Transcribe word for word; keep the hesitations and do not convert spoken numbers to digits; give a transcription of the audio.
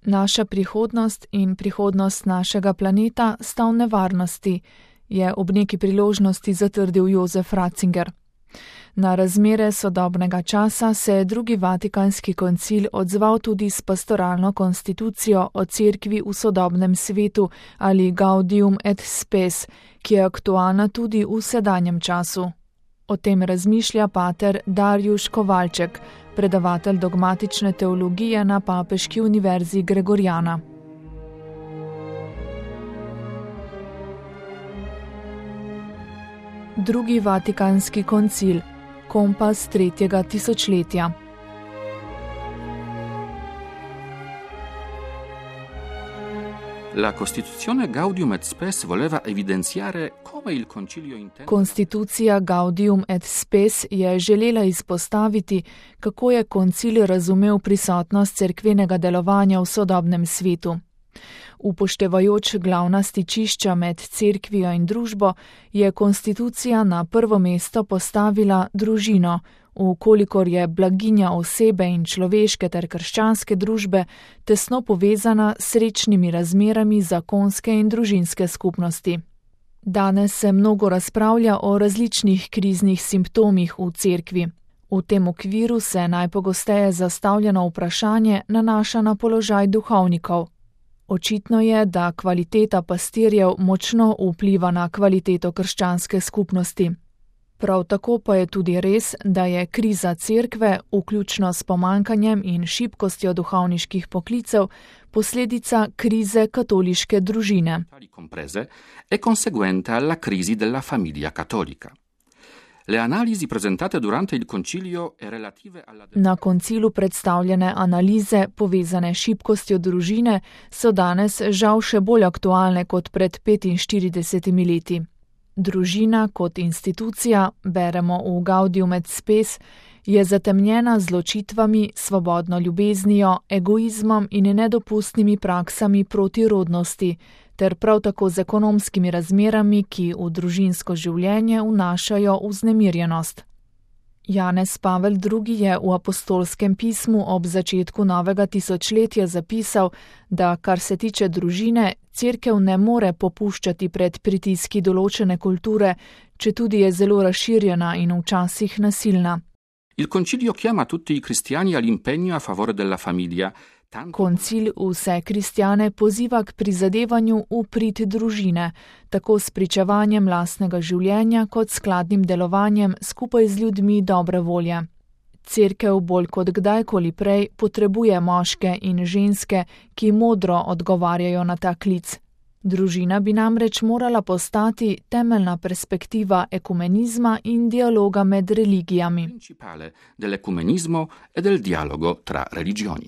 Naša prihodnost in prihodnost našega planeta sta v nevarnosti, je ob neki priložnosti zatrdil Jozef Ratzinger. Na razmere sodobnega časa se je drugi Vatikanski koncil odzval tudi s pastoralno konstitucijo o cerkvi v sodobnem svetu ali Gaudium et Spes, ki je aktualna tudi v sedanjem času. O tem razmišlja pater Darjuš Kovalček, predavatelj dogmatične teologije na Papeški univerzi Gregoriana. Drugi Vatikanski koncil, kompas tretjega tisočletja. La Costituzione Gaudium et Spes voleva evidenziare come il concilio intende. Konstitucija Gaudium et Spes je želela izpostaviti, kako je koncil razumel prisotnost cerkvenega delovanja v sodobnem svetu. Upoštevajoč glavna stičišča med cerkvijo in družbo, je konstitucija na prvo mesto postavila družino, vkolikor je blaginja osebe in človeške ter krščanske družbe tesno povezana s srečnimi razmerami zakonske in družinske skupnosti. Danes se mnogo razpravlja o različnih kriznih simptomih v cerkvi. V tem okviru se najpogosteje zastavljeno vprašanje nanaša na položaj duhovnikov. Očitno je, da kvaliteta pastirjev močno vpliva na kvaliteto krščanske skupnosti. Prav tako pa je tudi res, da je kriza cerkve, vključno s pomanjkanjem in šibkostjo duhovniških poklicev, posledica krize katoliške družine. È conseguente alla crisi della famiglia cattolica. Le analisi presentate durante il concilio e relative alla... Na koncilu predstavljene analize, povezane s šibkostjo družine, so danes žal še bolj aktualne kot pred petinštiridesetimi leti. Družina kot institucija, beremo v Gaudium et Spes, je zatemnjena z ločitvami, svobodno ljubeznijo, egoizmom in nedopustnimi praksami proti rodnosti, ter prav tako z ekonomskimi razmerami, ki v družinsko življenje vnašajo vznemirjenost. Janez Pavel drugi. Je v apostolskem pismu ob začetku novega tisočletja zapisal, da kar se tiče družine, cerkev ne more popuščati pred pritiski določene kulture, četudi je zelo razširjena in včasih nasilna. Il concilio chiama tutti i cristiani all'impegno a favore della famiglia. Koncil vse kristjane poziva k prizadevanju v prid družine, tako s pričevanjem lastnega življenja kot skladnim delovanjem skupaj z ljudmi dobre volje. Cerkev bolj kot kdajkoli prej potrebuje moške in ženske, ki modro odgovarjajo na ta klic. Družina bi namreč morala postati temeljna perspektiva ekumenizma in dialoga med religijami. Principale dell'ecumenismo e del dialogo tra religioni.